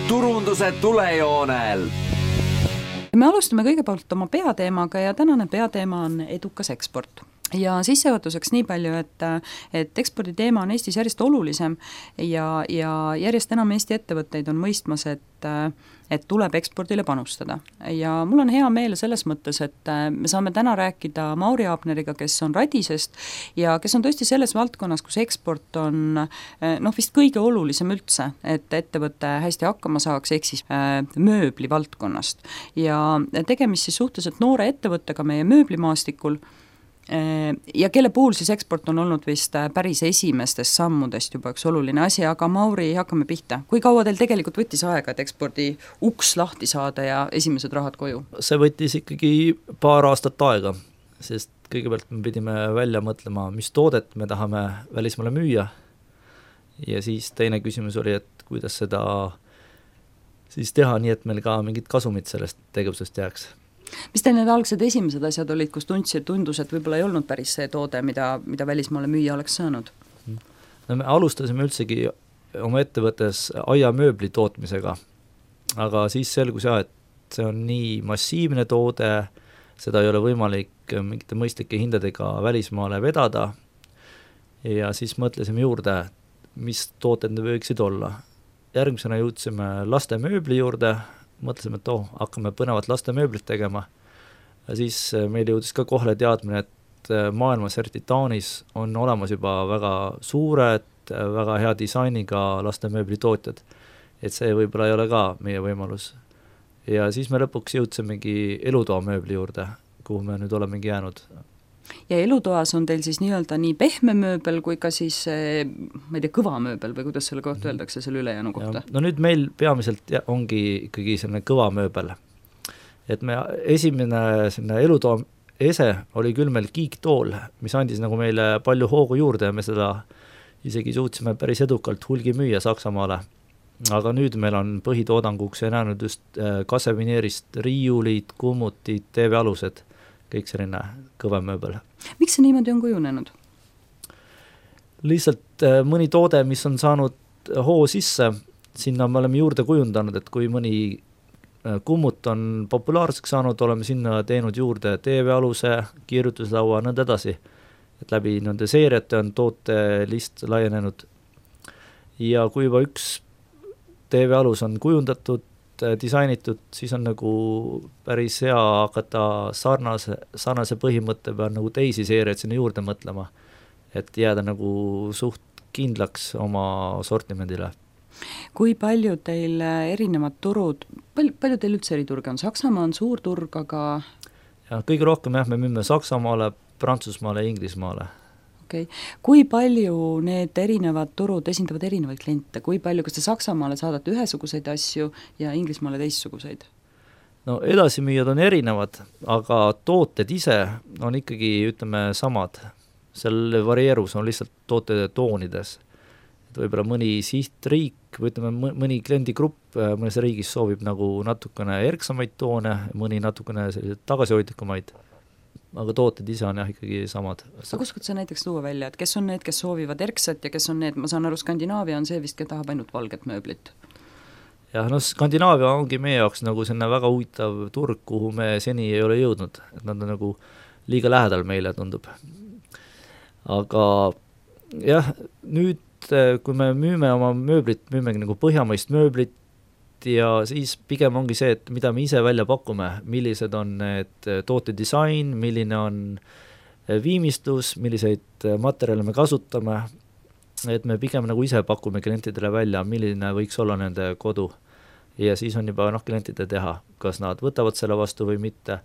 turunduse tulejoonel. Me alustame kõigepealt oma peateemaga ja tänane peateema on edukas eksport. Ja sissejuhatuseks nii palju, et ekspordi teema on Eestis järjest olulisem ja järjest enam Eesti ettevõtteid on mõistmas, et tuleb ekspordile panustada. Ja mul on hea meel selles mõttes, et me saame täna rääkida Mauri Abneriga, kes on Radisest ja kes on tõesti selles valdkonnas, kus eksport on vist kõige olulisem üldse, et ettevõte hästi hakkama saaks, ehk siis mööbli valdkonnast. Ja tegemist siis suhteliselt noore ettevõttega meie mööblimaastikul, ja kelle puhul siis eksport on olnud vist päris esimestest sammudest juba üks oluline asi, aga Mauri, hakkame pihta. Kui kaua teil tegelikult võttis aega, et ekspordi uks lahti saada ja esimesed rahad koju? See võttis ikkagi paar aastat aega, sest kõigepealt me pidime välja mõtlema, mis toodet me tahame välismaale müüa ja siis teine küsimus oli, et kuidas seda siis teha nii, et meil ka mingid kasumid sellest tegevusest jääks. Mis teil need algsed esimesed asjad olid, kus tundus, et võib-olla ei olnud päris see toode, mida välismaale müüa oleks saanud? No me alustasime üldsegi oma ettevõttes aiamööbli tootmisega, aga siis selgus et see on nii massiivne toode, seda ei ole võimalik mingite mõistlike hindadega välismaale vedada ja siis mõtlesime juurde, mis tooted need võiksid olla. Järgmisena jõudsime laste mööbli juurde, mõtlesime, et hakkame põnevat laste mööblit tegema. Ja siis meil jõudis ka kohle teadmine, et maailmas, eriti Taanis, on olemas juba väga suured, väga hea disainiga laste mööbli tootjad. Et see võib-olla ei ole ka meie võimalus. Ja siis me lõpuks jõudsimegi elutoa mööbli juurde, kuhu me nüüd olemegi jäänud. Ja elutoas on teil siis nii-öelda nii pehme mööbel kui ka siis, ma ei tea, kõva mööbel või kuidas selle kohta öeldakse selle ülejäänu kohta? No nüüd meil peamiselt ongi ikkagi selline kõva mööbel. Et me esimene sinna elutoa ese oli küll meil kiiktool, mis andis nagu meile palju hoogu juurde ja me seda isegi suutsime päris edukalt hulgi müüa Saksamaale. Aga nüüd meil on põhitoodanguks ja näinud just kasevineerist riiulid, kummutid, TV-alused, kõik selline kõvem mööbel. Miks see niimoodi on kujunenud? Lihtsalt mõni toode, mis on saanud hoo sisse, sinna me oleme juurde kujundanud, et kui mõni kummut on populaarseks saanud, oleme sinna teinud juurde TV-aluse, kirjutuslaua, nõnda edasi. Et läbi nende seeriate on tootelist laienenud. Ja kui juba üks TV-alus on kujundatud, disainitud, siis on nagu päris hea hakata sarnase põhimõtte peal nagu teisi seeriaid sinna juurde mõtlema, et jääda nagu suht kindlaks oma sortimendile. Kui palju teil erinevad turud, palju teil üldse eri turge on? Saksamaa on suur turg, aga... Ja, kõige rohkem me müüme Saksamaale, Prantsusmaale ja Inglismaale. Okay. Kui palju need erinevad turud esindavad erinevaid kliente? Kui palju, kas te Saksamaale saadate ühesuguseid asju ja Inglismaale teistsuguseid? No edasimüüjad on erinevad, aga tooted ise on ikkagi, ütleme, samad. Seal varieerus on lihtsalt tootede toonides. Et võib-olla mõni sihtriik või ütleme, mõni kliendigrupp mõnes riigis soovib nagu natukene erksamaid toone, mõni natukene tagasihoidlikumaid. Aga tooted ise on ikkagi samad. Aga oskad sa näiteks tuua välja, et kes on need, kes soovivad erksat ja kes on need, ma saan aru, Skandinaavia on see vist, kes tahab ainult valget mööblit? Jah, Skandinaavia ongi meie jaoks nagu selline väga huvitav turg, kuhu me seni ei ole jõudnud, et nad on nagu liiga lähedal meile tundub. Aga jah, nüüd kui me müüme oma mööblit, müümegi nagu põhjamaist mööblit ja siis pigem ongi see, et mida me ise välja pakume, millised on need tootedisain, milline on viimistlus, milliseid materjale me kasutame, et me pigem nagu ise pakume klientidele välja, milline võiks olla nende kodu ja siis on juba klientide teha, kas nad võtavad selle vastu või mitte.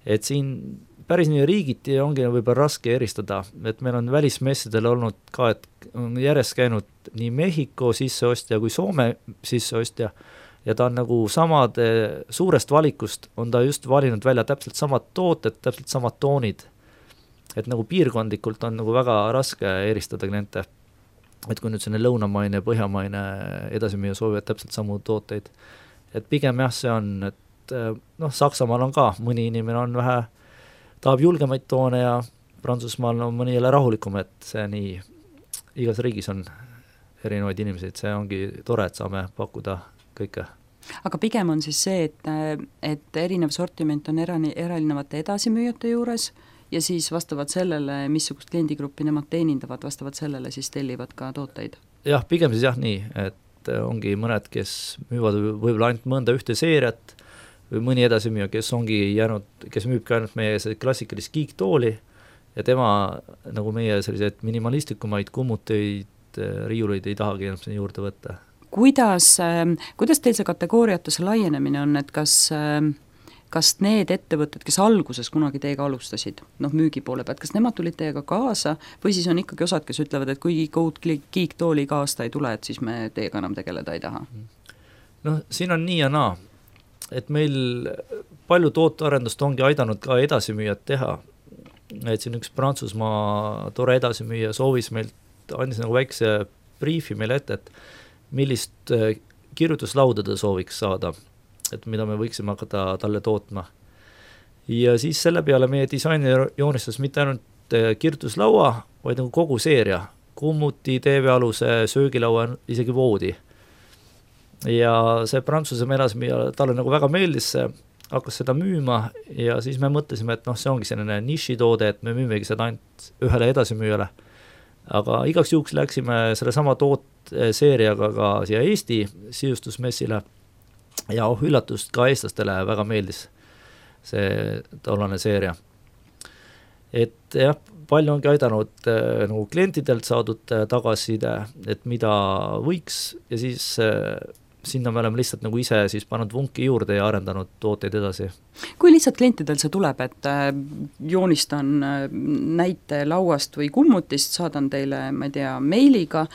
Et siin päris nii riigiti ongi võib-olla raske eristada, et meil on välismessidel olnud ka, et on järjest käinud nii Mehhiko sisseostja kui Soome sisseostja ja ta on nagu suurest valikust on ta just valinud välja täpselt samad tooted, täpselt samad toonid. Et nagu piirkondlikult on nagu väga raske eristada kliente. Et kui nüüd selline lõunamaine ja põhjamaine edasimüüja soovivad täpselt samu tooteid. Et pigem jah, see on, et Saksamaal on ka mõni inimene on vähe, tahab julgemaid toone ja Prantsusmaal on mõni jälle rahulikum, et see nii igas riigis on erinevaid inimesi, et see ongi tore, et saame pakkuda kõike. aga pigem on siis see, et erinev sortiment on erinevate edasimüüjate juures ja siis vastavalt sellele, missugust kliendigruppi nemad teenindavad, vastavalt sellele siis tellivad ka tooteid? Jah, pigem siis jah nii, et ongi mõned, kes müüvad võib-olla ainult mõnda ühte seeriat või mõni edasimüüja, kes ongi jäänud, kes müübki ainult meie klassikalist kiiktooli ja tema nagu meie selliseid minimalistikumaid kummuteid, riiuleid ei tahagi enam sinna juurde võtta. Kuidas teil see kategooriatuse laienemine on, et kas need ettevõtted, kes alguses kunagi teiega alustasid, müügi poole pealt, kas nemad tulid teiega kaasa või siis on ikkagi osad, kes ütlevad, et kui kiiktooli iga aasta ei tule, et siis me teiega enam tegeleda ei taha? Siin on nii ja naa, et meil palju tootearendust ongi aidanud ka edasimüüjad teha, et siin üks Prantsusmaa tore edasimüüja soovis meilt, andis nagu väikse briefi meile ette, et millist kirjutuslauda ta sooviks saada, et mida me võiksime hakata talle tootma. Ja siis selle peale meie disainer joonistas mitte ainult kirjutuslaua, vaid nagu kogu seeria, kummuti, TV-aluse, söögilaua, isegi voodi. Ja see Prantsuse edasimüüja, talle nagu väga meeldis see, hakkas seda müüma ja siis me mõtlesime, et see ongi selline nišitoode, et me müümegi seda ainult ühele edasimüüjale. Aga igaks juhuks läksime selle sama seeriaga ka siia Eesti sisustusmessile ja üllatust ka eestlastele väga meeldis see tollane seeria. Et jah, palju ongi aidanud nagu klientidelt saadud tagasiside, et mida võiks ja siis sinna me oleme lihtsalt nagu ise siis pannud vunki juurde ja arendanud tooteid edasi. Kui lihtsalt klientidel see tuleb, et joonistan näite lauast või kummutist, saadan teile, ma ei tea, meiliga,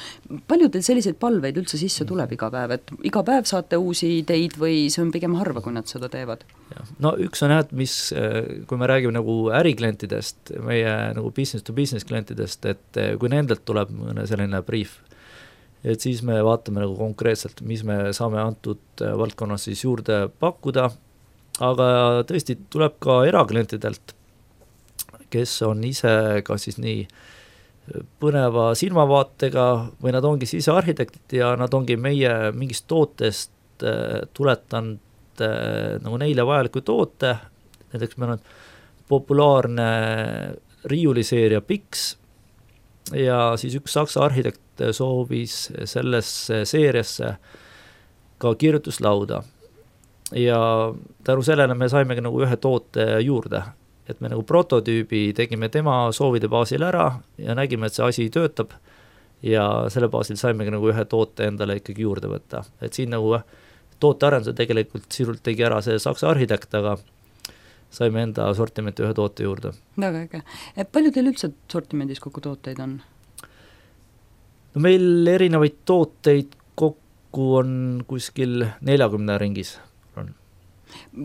palju teil selliseid palveid üldse sisse tuleb iga päev, et iga päev saate uusi ideid või see on pigem harva, kui nad seda teevad? Üks on mis, kui me räägime nagu äriklientidest, meie nagu business to business klientidest, et kui nendelt tuleb selline brief, et siis me vaatame nagu konkreetselt, mis me saame antud valdkonnas siis juurde pakkuda, aga tõesti tuleb ka eraklientidelt, kes on ise kas siis nii põneva silmavaatega või nad ongi sisearhitektid ja nad ongi meie mingist tootest tuletanud nagu neile vajaliku toote, näiteks meil on populaarne riiuliseeria Pix ja siis üks saksa arhitekt soovis sellesse seeriasse ka kirjutuslauda ja tänu sellele me saimegi nagu ühe toote juurde, et me nagu prototüübi tegime tema soovide baasil ära ja nägime, et see asi töötab ja selle baasil saimegi nagu ühe toote endale ikkagi juurde võtta, et siin nagu tootearenduse tegelikult sirult tegi ära see saksa arhitekt, aga saime enda sortimenti ühe toote juurde. Väga äge. Palju teil üldse sortimendis kokku tooteid on? Meil erinevaid tooteid kokku on kuskil 40 ringis.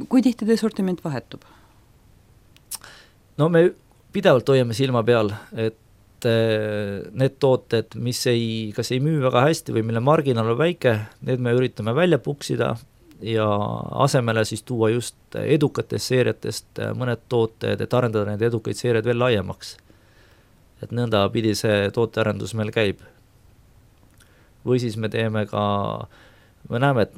Kui tihti teie sortiment vahetub? Me pidevalt hoiame silma peal, et need tooted, mis kas ei müü väga hästi või mille marginaal on väike, need me üritame välja puksida ja asemele siis tuua just edukatest seeriatest mõned tooted, et arendada need edukaid seeriad veel laiemaks. Et nõnda pidi see tootearendus meil käib. Või siis me teeme ka, me näeme, et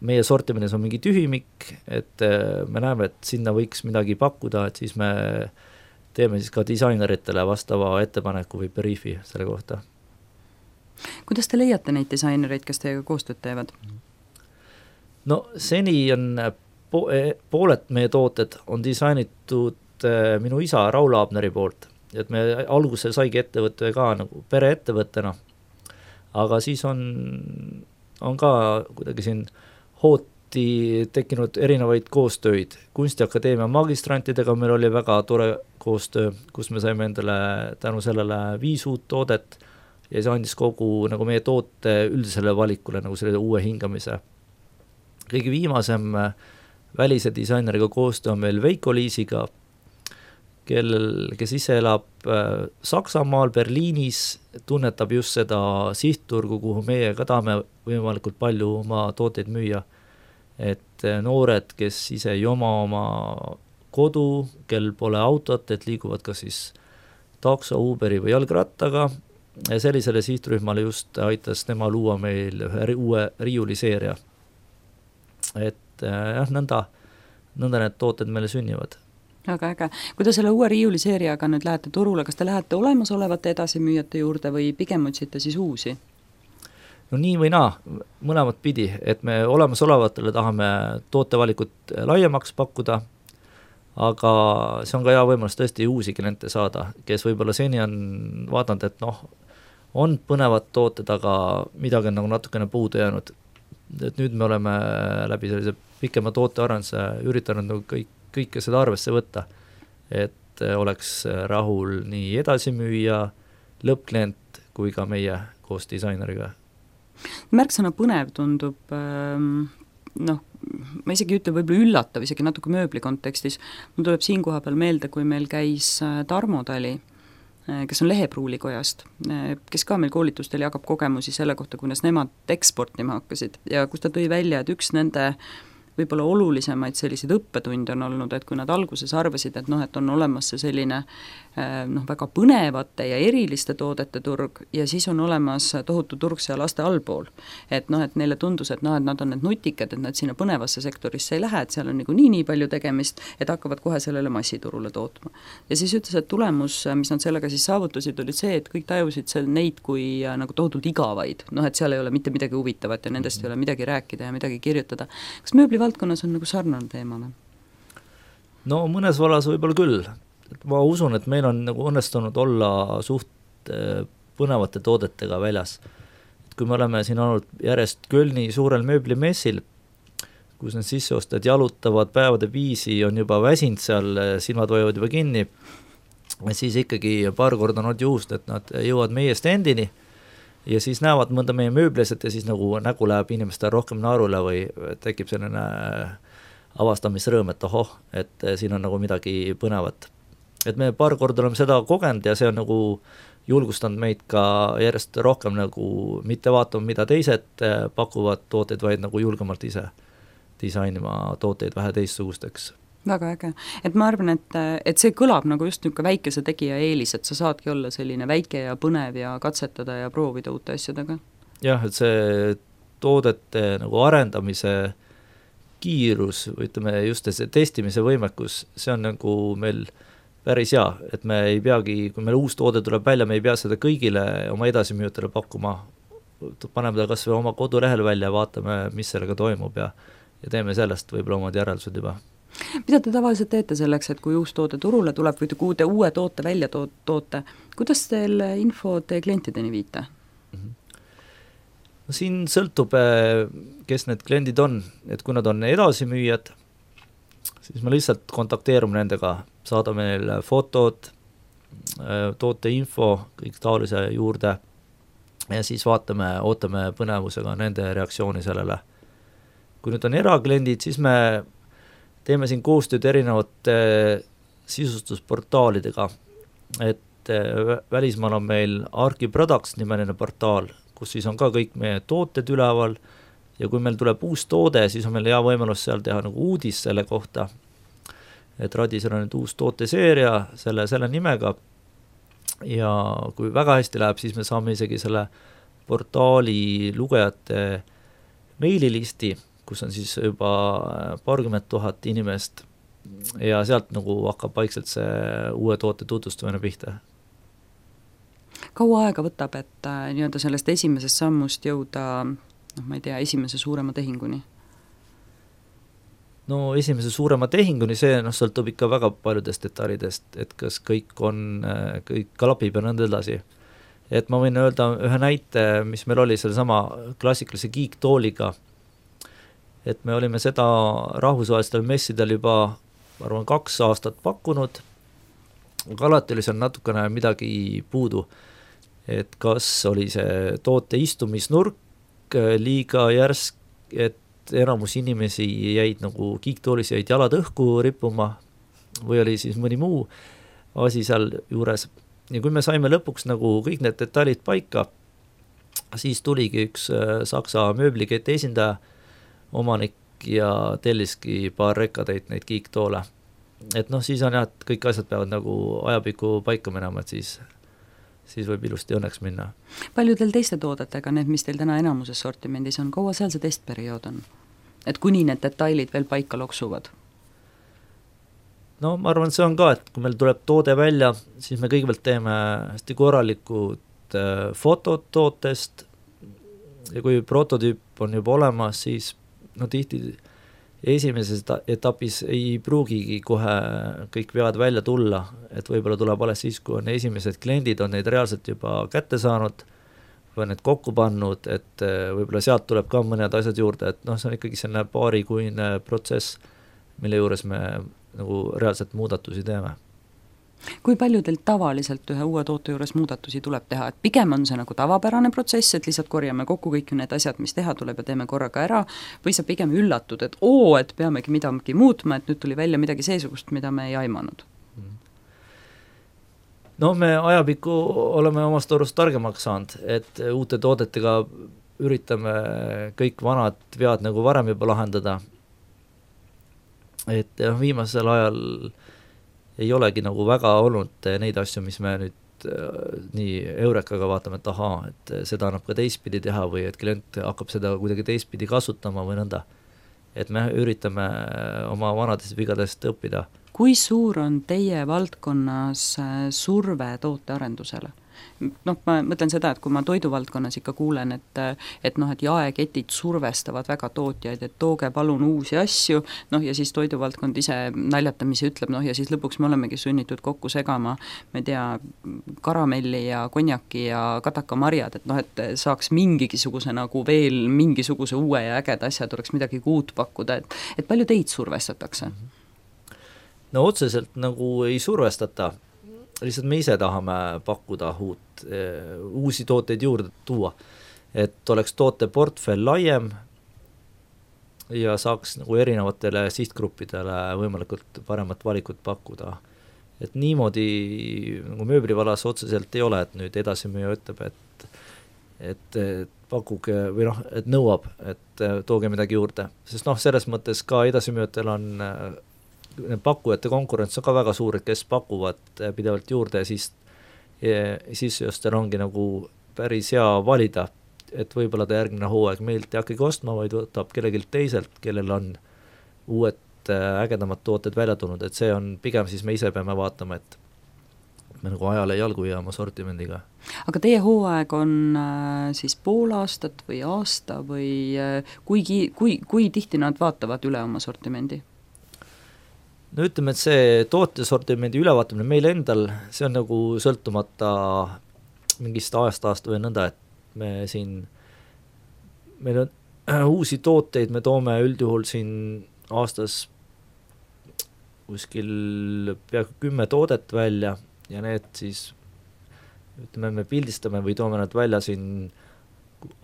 meie sortimendis on mingi tühimik, et me näeme, et sinna võiks midagi pakkuda, et siis me teeme siis ka disaineritele vastava ettepaneku või briefi selle kohta. Kuidas te leiate neid disainereid, kes teiega koostööd teevad? Seni on pooled meie tooted on disainitud minu isa Raul Abneri poolt, et me alguses saigi ettevõtte ka nagu pereettevõttena, aga siis on ka kuidagi siin hooti tekkinud erinevaid koostööid. Kunstiakadeemia magistrantidega meil oli väga tore koostöö, kus me saime endale tänu sellele 5 uut toodet ja see andis kogu nagu meie toote üldisele valikule nagu selle uue hingamise. Kõige viimasem välise disaineriga koostöö on meil Veiko Liisiga, kes ise elab Saksamaal, Berliinis, tunnetab just seda sihtturgu, kuhu meie ka tahame võimalikult palju oma tooteid müüa. Et noored, kes ise ei oma kodu, kel pole autot, et liiguvad ka siis takso, Uberi või jalgrattaga, sellisele sihtrühmale just aitas tema luua meil ühe uue riiuliseeria. et jah, nõnda need tooted meile sünnivad. Väga äge. Kui te selle uue riiuliseeriaga nüüd lähete turule, kas te lähete olemasolevate edasimüüjate juurde või pigem otsite siis uusi? No nii või naa, mõlemat pidi, et me olemasolevatele tahame tootevalikut laiemaks pakkuda, aga see on ka hea võimalus tõesti uusi kliente saada, kes võib-olla seni on vaadanud, et on põnevad tooted, aga midagi on nagu natukene puudu jäänud. Et nüüd me oleme läbi sellise pikema tootearenduse üritanud nagu kõike seda arvesse võtta, et oleks rahul nii edasimüüja, lõppklient kui ka meie koos disaineriga. Märksõna põnev tundub, ma isegi ütle võib-olla üllatav, isegi natuke mööbli kontekstis. Mul tuleb siin koha peal meelde, kui meil käis Tarmo Tali, kes on Lehepruulikojast, kes ka meil koolitustel jagab kogemusi selle kohta, kuidas nemad eksportima hakkasid ja kus ta tõi välja, et üks nende võib-olla olulisemaid selliseid õppetunde on olnud, et kui nad alguses arvasid, et et on olemas see selline väga põnevate ja eriliste toodete turg ja siis on olemas tohutu turg seal laste allpool. Et neile tundus, et nad on need nutikad, et nad sinna põnevasse sektorisse ei lähe, et seal on nii palju tegemist, et hakkavad kohe sellele massiturule tootma. Ja siis ütles, et tulemus, mis nad sellega siis saavutasid, oli see, et kõik tajusid neid kui nagu tohutult igavaid, et seal ei ole mitte midagi huvitavat ja nendest ei ole midagi rääkida ja midagi kirjutada. Kas mööblivaldkonnas on nagu sarnane teemane? No mõnes vallas võib-olla küll. Ma usun, et meil on nagu õnnestunud olla suht põnevate toodetega väljas. Et kui me oleme siin olnud järjest Kölni suurel mööblimessil, kus need sisseostajad jalutavad päevade viisi, on juba väsinud seal, silmad hoiavad juba kinni, siis ikkagi paar korda on olnud juhust, et nad jõuavad meie standini ja siis näevad mõnda meie mööbliset ja siis nagu nägu läheb inimestele rohkem naarule või tekib selline avastamisrõõm, et et siin on nagu midagi põnevat. Et me paar korda oleme seda kogenud ja see on nagu julgustanud meid ka järjest rohkem nagu mitte vaatama, mida teised pakuvad tooteid, vaid nagu julgemalt ise disainima tooteid vähe teistsugusteks. Väga äge. Et ma arvan, et see kõlab nagu just niisugune väikese tegija eelis, et sa saadki olla selline väike ja põnev ja katsetada ja proovida uute asjadega. Jah, et see toodete nagu arendamise kiirus või ütleme just see testimise võimekus, see on nagu meil päris hea, et me ei peagi, kui meil uus toode tuleb välja, me ei pea seda kõigile oma edasimüüjatele pakkuma, paneme ta kas või oma kodulehel välja ja vaatame, mis sellega toimub ja teeme sellest võib-olla omad järeldused juba. Mida te tavaliselt teete selleks, et kui uus toode turule tuleb või kui uue toote välja toote, kuidas teil info teie klientideni viite? No siin sõltub, kes need kliendid on, et kui nad on edasimüüjad, siis me lihtsalt kontakteerume nendega, saadame neile fotod, toote info, kõik taolise juurde ja siis ootame põnevusega nende reaktsiooni sellele. Kui nüüd on erakliendid, siis me teeme siin koostööd erinevate sisustusportaalidega, et välismaal on meil Arki Products nimeline portaal, kus siis on ka kõik meie tooted üleval ja kui meil tuleb uus toode, siis on meil hea võimalus seal teha nagu uudis selle kohta, et Radisel on nüüd uus tooteseeria selle nimega ja kui väga hästi läheb, siis me saame isegi selle portaali lugejate meililisti, kus on siis juba 20,000 inimest ja sealt nagu hakkab vaikselt see uue toote tutvustamine pihta. Kaua aega võtab, et nii-öelda sellest esimesest sammust jõuda, ma ei tea, esimese suurema tehinguni? No esimese suurema tehinguni see sõltub ikka väga paljudest detailidest, et kas kõik klapib ja nõnda edasi. Et ma võin öelda ühe näite, mis meil oli sellesama klassikalise Geek-tooliga, et me olime seda rahvusvahelistel messidel juba, ma arvan, 2 aastat pakkunud, aga alati oli seal natukene midagi puudu, et kas oli see toote istumisnurk liiga järsk, et enamus inimesi jäid nagu Geek-toolis jäid jalad õhku rippuma või oli siis mõni muu asi seal juures. Ja kui me saime lõpuks nagu kõik need detailid paika, siis tuligi üks Saksa mööbliketi esindaja, omanik ja telliski paar rekkadeid neid Geek-toole. Et siis on jah, et kõik asjad peavad nagu ajapikku paika minema, et siis võib ilusti õnneks minna. Palju teil teiste toodetega, need, mis teil täna enamuses sortimendis on, kaua seal see testperiood on? et kuni need detailid veel paika loksuvad? No ma arvan, et see on ka, et kui meil tuleb toode välja, siis me kõigepealt teeme hästi korralikud fotod tootest ja kui prototüüp on juba olemas, siis no tihti esimeses etapis ei pruugigi kohe kõik vead välja tulla, et võib-olla tuleb alles siis, kui on esimesed kliendid, on neid reaalselt juba kätte saanud või need kokku pannud, et võib-olla sealt tuleb ka mõned asjad juurde, et noh, see on ikkagi selline paarikuine protsess, mille juures me nagu reaalselt muudatusi teeme. Kui palju teil tavaliselt ühe uue toote juures muudatusi tuleb teha, et pigem on see nagu tavapärane protsess, et lihtsalt korjame kokku kõik need asjad, mis teha tuleb ja teeme korraga ära, või sa pigem üllatud, et et peamegi midagi muutma, et nüüd tuli välja midagi seesugust, mida me ei aimanud? No me ajapikku oleme omast arust targemaks saanud, et uute toodetega üritame kõik vanad vead nagu varem juba lahendada. Et viimasel ajal ei olegi nagu väga olnud neid asju, mis me nüüd nii Eurekaga vaatame, et ahaa, et seda annab ka teistpidi teha või et klient hakkab seda kuidagi teistpidi kasutama või nõnda. Et me üritame oma vanadest vigadest õppida. Kui suur on teie valdkonnas surve tootearendusele? Noh, ma mõtlen seda, et kui ma toiduvaldkonnas ikka kuulen, et jaeketid survestavad väga tootjaid, et tooge palun uusi asju, ja siis toiduvaldkond ise naljatamisi ütleb, ja siis lõpuks me olemegi sunnitud kokku segama, ma ei tea, karamelli ja konjaki ja katakamarjad, et saaks mingisuguse nagu veel mingisuguse uue ja ägeda asja, tuleks midagi uut pakkuda, et palju teid survestatakse? No otseselt nagu ei survestata, lihtsalt me ise tahame pakkuda uusi tooteid juurde tuua, et oleks tooteportfell laiem ja saaks nagu erinevatele sihtgruppidele võimalikult paremat valikut pakkuda. Et niimoodi nagu mööblivalas otseselt ei ole, et nüüd edasimüüja ütleb, et pakkuge või et nõuab, et tooge midagi juurde, sest selles mõttes ka edasimüüjatel on pakkujate konkurents on ka väga suur, et kes pakuvad pidevalt juurde ja siis justel ongi nagu päris hea valida, et võib-olla ta järgmine hooaeg meilt ei hakkagi ostma, vaid võtab kellelgi teiselt, kellel on uued ägedamad tooted välja tulnud, et see on pigem siis me ise peame vaatama, et me nagu ajale jalgu ja oma sortimendiga. Aga teie hooaeg on siis pool aastat või aasta või kui tihti nad vaatavad üle oma sortimendi? No ütleme, et see tootesortimendi ülevaatamine meil endal, see on nagu sõltumata mingist aastast või nõnda, et meil on uusi tooteid, me toome üldjuhul siin aastas kuskil peaaegu 10 toodet välja ja need siis, ütleme, me pildistame või toome nad välja siin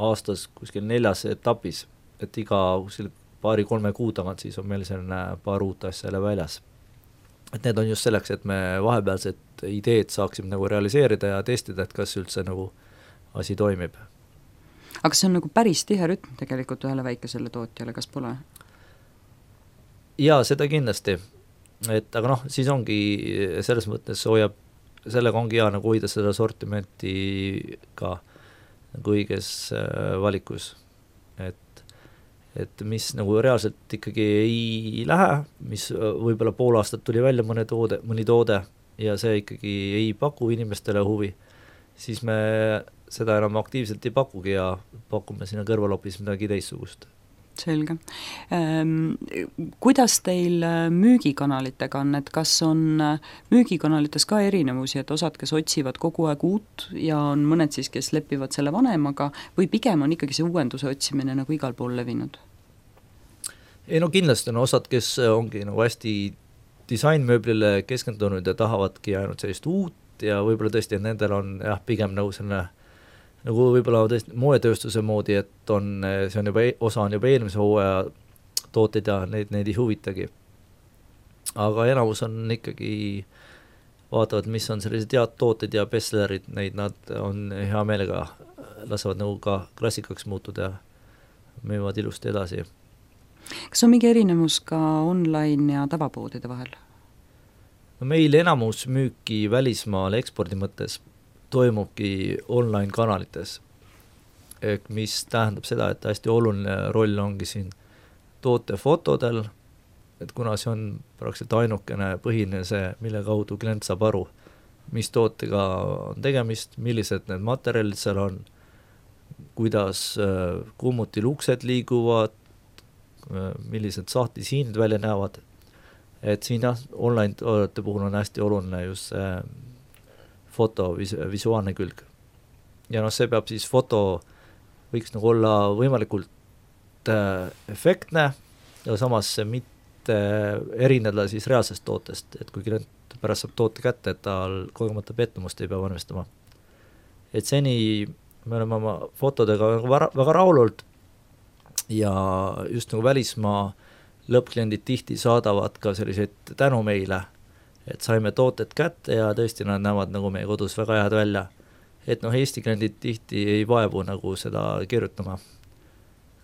aastas kuskil 4 etapis, et iga kuskil 2-3 kuu tagant siis on meil selline paar uut asja jälle väljas. Et need on just selleks, et me vahepealsed ideed saaksime nagu realiseerida ja testida, et kas üldse nagu asi toimib. Aga see on nagu päris tihe rütm tegelikult ühele väikesele tootjale, kas pole? Jaa, seda kindlasti. Aga siis ongi selles mõttes sellega ongi hea nagu hoida seda sortimenti ka nagu õiges valikus. Et mis nagu reaalselt ikkagi ei lähe, mis võib-olla pool aastat tuli välja mõni toode ja see ikkagi ei paku inimestele huvi, siis me seda enam aktiivselt ei pakugi ja pakume sinna kõrval hoopis midagi teistsugust. Selge. Kuidas teil müügikanalitega on, et kas on müügikanalites ka erinevusi, et osad, kes otsivad kogu aeg uut ja on mõned siis, kes lepivad selle vanemaga või pigem on ikkagi see uuenduse otsimine nagu igal pool levinud? Ei no kindlasti on osad, kes ongi nagu hästi disainmööblile keskendunud ja tahavadki ainult sellist uut ja võib-olla tõesti, et nendel on pigem nagu selline nagu võib-olla tõesti moetööstuse moodi, et see on juba osa on juba eelmise hooaja tooteid ja neid ei huvitagi. Aga enamus on ikkagi vaatavad, mis on sellised head tooted ja bestsellerid, neid nad on hea meelega, lasevad nagu ka klassikaks muutuda ja müüvad ilusti edasi. Kas on mingi erinevus ka online ja tavapoodide vahel? No meil enamus müüki välismaale ekspordi mõttes toimubki online kanalites, mis tähendab seda, et hästi oluline roll ongi siin toote fotodel, et kuna see on praktiliselt ainukene põhine see, mille kaudu klient saab aru, mis tootega on tegemist, millised need materjalid seal on, kuidas kummutil uksed liiguvad, millised sahtlisiinid välja näevad, et siin online toodete puhul on hästi oluline just see foto visuaalne külg. Ja see peab siis foto võiks nagu olla võimalikult efektne ja samas mitte erineda siis reaalsest tootest, et kui klient pärast saab toote kätte, et tal kogemata pettumust ei pea valmistama. Et seni me oleme oma fotodega väga rahulult ja just nagu välismaa lõppkliendid tihti saadavad ka selliseid tänu meile, et saime tooted kätte ja tõesti nad näevad nagu meie kodus väga head välja. Et Eesti kliendid tihti ei vaevu nagu seda kirjutama.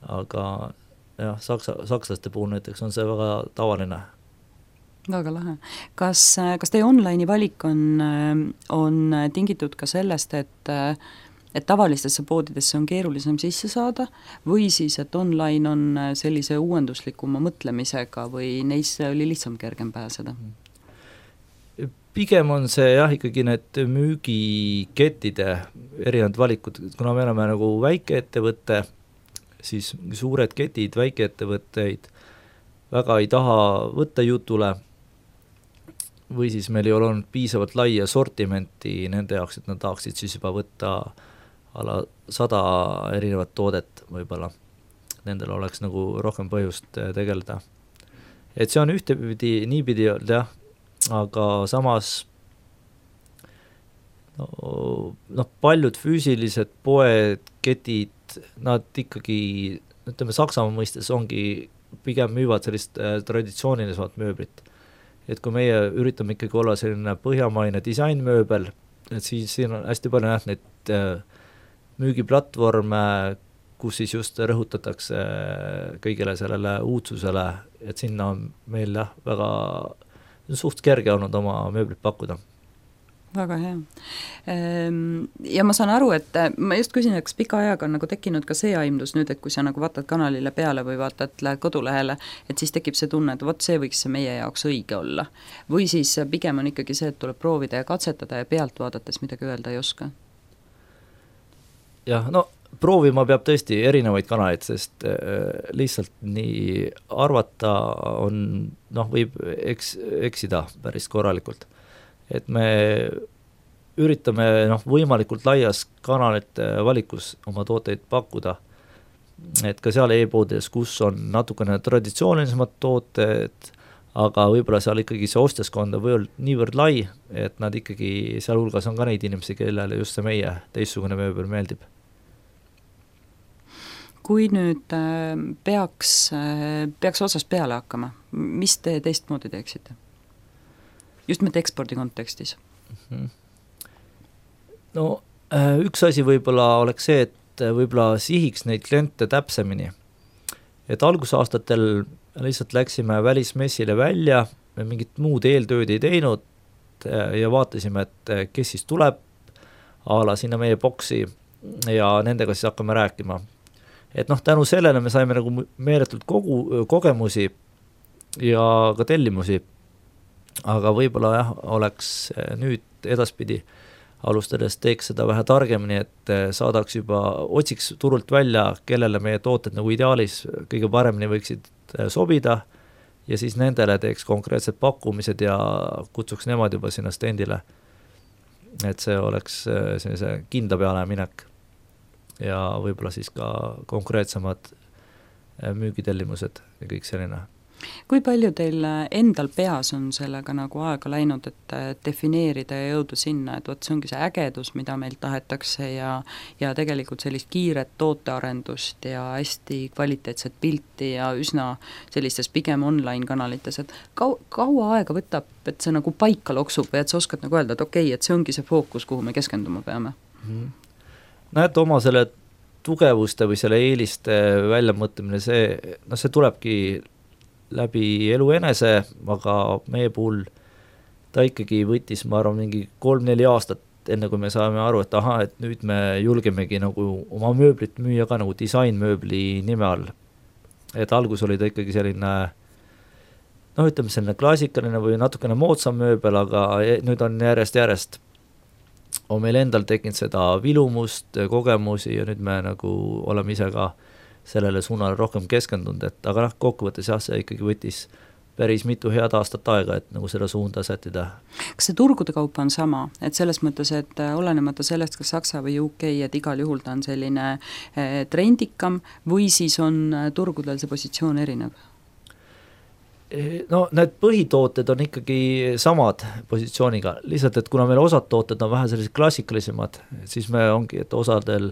Aga jah, sakslaste puhul näiteks on see väga tavaline. Väga lahe. Kas teie online'i valik on tingitud ka sellest, et tavalistesse poodidesse on keerulisem sisse saada või siis, et online on sellise uuenduslikuma mõtlemisega või neisse oli lihtsam kergem pääseda? Pigem on see jah, ikkagi need müügikettide erinevad valikud, kuna me oleme nagu väikeettevõtte, siis suured ketid väikeettevõtteid väga ei taha võtta jutule või siis meil ei ole olnud piisavalt laia sortimenti nende jaoks, et nad tahaksid siis juba võtta ala 100 erinevat toodet võib-olla. Nendel oleks nagu rohkem põhjust tegeleda. Et see on ühtepidi, niipidi jah, aga samas paljud füüsilised poed, ketid, nad ikkagi, ütleme Saksamaa mõistes ongi, pigem müüvad sellist traditsioonilisemat mööblit. Et kui meie üritame ikkagi olla selline põhjamaine disainmööbel, et siis siin on hästi palju näht neid müügiplatvorme, kus siis just rõhutatakse kõigile sellele uudsusele, et sinna on meil jah, väga suht kerge olnud oma mööblit pakkuda. Väga hea. Ja ma saan aru, et ma just küsin, et kas pika ajaga on nagu tekkinud ka see aimdus nüüd, et kui sa nagu vaatad kanalile peale või vaatad kodulehele, et siis tekib see tunne, et see võiks see meie jaoks õige olla. Või siis pigem on ikkagi see, et tuleb proovida ja katsetada ja pealt vaadates midagi öelda ei oska? Jah, proovima peab tõesti erinevaid kanaleid, sest lihtsalt nii arvata on, võib eksida päris korralikult. Et me üritame võimalikult laias kanalite valikus oma tooteid pakkuda, et ka seal e-poodides, kus on natukene traditsioonilisemad tooted, aga võib-olla seal ikkagi see ostjaskond on niivõrd lai, et nad ikkagi seal hulgas on ka neid inimesi, kellele just see meie teistsugune mööbel meeldib. Kui nüüd peaks otsast peale hakkama, mis te teistmoodi teeksite? Just mitte ekspordi kontekstis. Üks asi võib-olla oleks see, et võib-olla sihiks neid kliente täpsemini. Et algusaastatel lihtsalt läksime välismessile välja, me mingit muud eeltööd ei teinud ja vaatasime, et kes siis tuleb ala sinna meie boksi ja nendega siis hakkame rääkima. Et tänu sellele me saime nagu meeletult kogemusi ja ka tellimusi, aga võib-olla jah, oleks nüüd edaspidi alustades teeks seda vähe targemini, et saadaks juba, otsiks turult välja, kellele meie tooted nagu ideaalis kõige paremini võiksid sobida ja siis nendele teeks konkreetsed pakkumised ja kutsuks nemad juba sinna stendile. Et see oleks sellise kinda peale minek ja võib-olla siis ka konkreetsemad müügitellimused ja kõik selline. Kui palju teil endal peas on sellega nagu aega läinud, et defineerida ja jõuda sinna, et see ongi see ägedus, mida meil tahetakse ja tegelikult sellist kiiret tootearendust ja hästi kvaliteetset pilti ja üsna sellistes pigem online kanalites, et kaua aega võtab, et see nagu paika loksub või et sa oskad nagu öelda, et okei, et see ongi see fookus, kuhu me keskenduma peame? Et oma selle tugevuste või selle eeliste väljamõtlemine, see tulebki läbi elu enese, aga meie puhul ta ikkagi võttis, ma arvan, mingi 3-4 aastat, enne kui me saame aru, et et nüüd me julgemegi nagu oma mööblit müüa ka nagu disainmööbli nime all. et algus oli ta ikkagi selline ütleme selline klassikaline või natukene moodsam mööbel, aga nüüd on järjest on meil endal tekkinud seda vilumust, kogemusi ja nüüd me nagu oleme ise ka sellele suunale rohkem keskendunud, et aga kokkuvõttes see ikkagi võttis päris mitu head aastat aega, et nagu seda suunda sättida. Kas see turgude kaupa on sama, et selles mõttes, et olenemata sellest, kas Saksa või UK, et igal juhul ta on selline trendikam või siis on turgudel see positsioon erinev? No need põhitooted on ikkagi samad positsiooniga, lihtsalt, et kuna meil osad tooted on vähe sellised klassikalisemad, siis me ongi, et osadel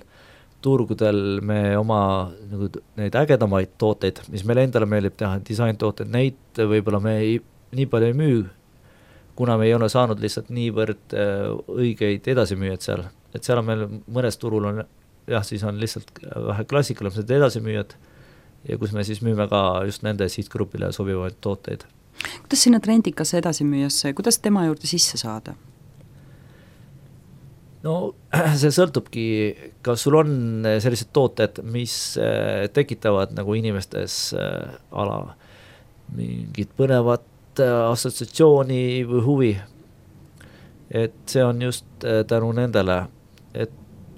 turgudel me oma nagu, neid ägedamaid tooteid, mis meile endale meeldib teha, disaintooted, neid võib-olla me nii palju ei müü, kuna me ei ole saanud lihtsalt niivõrd õigeid edasimüüjad seal. Et seal on meil mõnes turul on, siis on lihtsalt vähe klassikalised edasimüüjad, ja kus me siis müüme ka just nende sihtgrupile sobivaid tooteid. Kuidas sinna trendikasse edasimüüjasse, kuidas tema juurde sisse saada? No see sõltubki, kas sul on sellised tooted, mis tekitavad nagu inimestes mingit põnevat assotsiatsiooni või huvi. Et see on just tänu nendele, et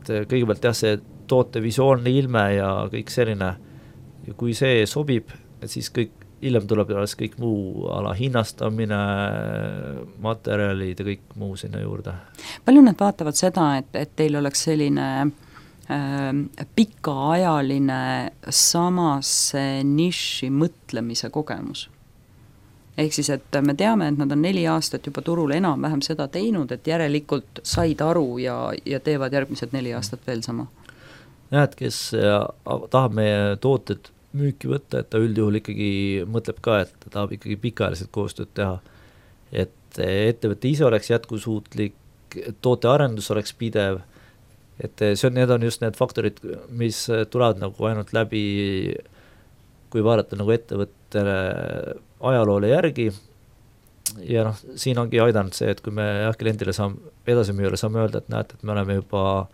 kõigepealt see toote visuaalne ilme ja kõik selline. Ja kui see sobib, et siis hiljem tuleb kõik muu hinnastamine, materjalid ja kõik muu sinna juurde. Palju nad vaatavad seda, et teil oleks selline pikaajaline samasse niši mõtlemise kogemus? Ehk siis, et me teame, et nad on 4 aastat juba turul enam-vähem seda teinud, et järelikult said aru ja teevad järgmised 4 aastat veel sama? Näed, kes tahab meie tooted müüki võtta, et ta üldjuhul ikkagi mõtleb ka, et ta tahab ikkagi pikaajaliselt koostööd teha. Et ettevõte ise oleks jätkusuutlik, tootearendus oleks pidev, et need on just need faktorid, mis tulevad nagu ainult läbi, kui vaadata nagu ettevõttele ajaloole järgi. Ja siin ongi aidanud see, et kui me kliendile edasimüüjale saame öelda, et näete, et me oleme juba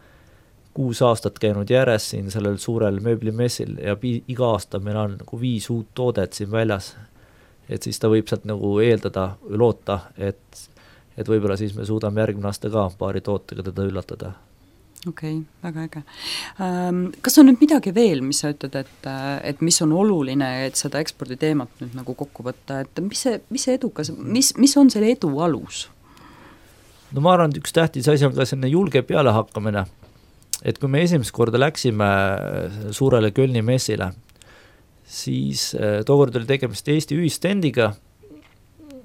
6 aastat käinud järjest siin sellel suurel mööblimessil ja iga aasta meil on nagu 5 uut toodet siin väljas. Et siis ta võib sealt nagu eeldada või loota, et võib-olla siis me suudame järgmine aasta ka paari tootega teda üllatada. Okei, väga äge. Kas on nüüd midagi veel, mis sa ütled, et mis on oluline, et seda eksporditeemat nüüd nagu kokku võtta, et mis see edukas, mis on selle edu alus? No ma arvan, et üks tähtis asi on ka selline julge peale hakkamine. Et kui me esimest korda läksime suurele Kölni messile, siis tookord oli tegemist Eesti ühistendiga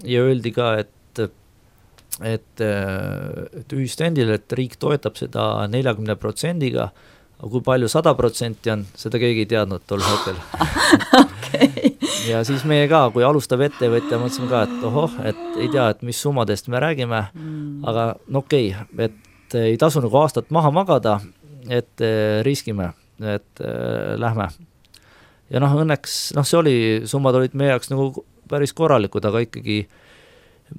ja öeldi ka, et ühistendil, et riik toetab seda 40%-ga, aga kui palju 100% on, seda keegi ei teadnud tol hetkel. Okay. Ja siis meie ka, kui alustav ettevõtja, mõtlesime ka, et ohoh, et ei tea, et mis summadest me räägime, aga okei, et ei tasu nagu aastat maha magada, et riskime, et lähme. Ja õnneks, see oli, summad olid meie jaoks nagu päris korralikud, aga ikkagi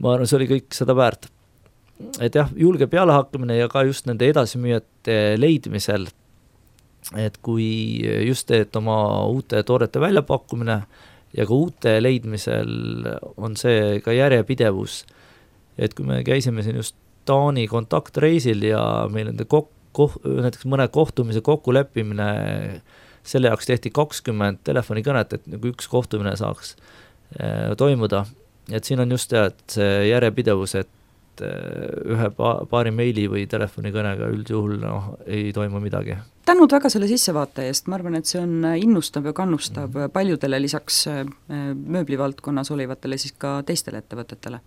ma arvan, see oli kõik seda väärt. Et jah, julge peale hakkamine ja ka just nende edasimüüjate leidmisel, et kui just et oma uute toodete väljapakkumine ja ka uute leidmisel on see ka järjepidevus, et kui me käisime siin just Taani kontaktreisil ja meil nende näiteks mõne kohtumise kokkuleppimine, selle jaoks tehti 20 telefonikõnet, et nagu üks kohtumine saaks toimuda. Et siin on just et see järjepidevus, et ühe paari meili või telefonikõnega üldjuhul ei toimu midagi. Tänud väga selle sissevaate eest, ma arvan, et see on innustab ja kannustab paljudele lisaks mööblivaldkonnas olivatele siis ka teistele ettevõtetele.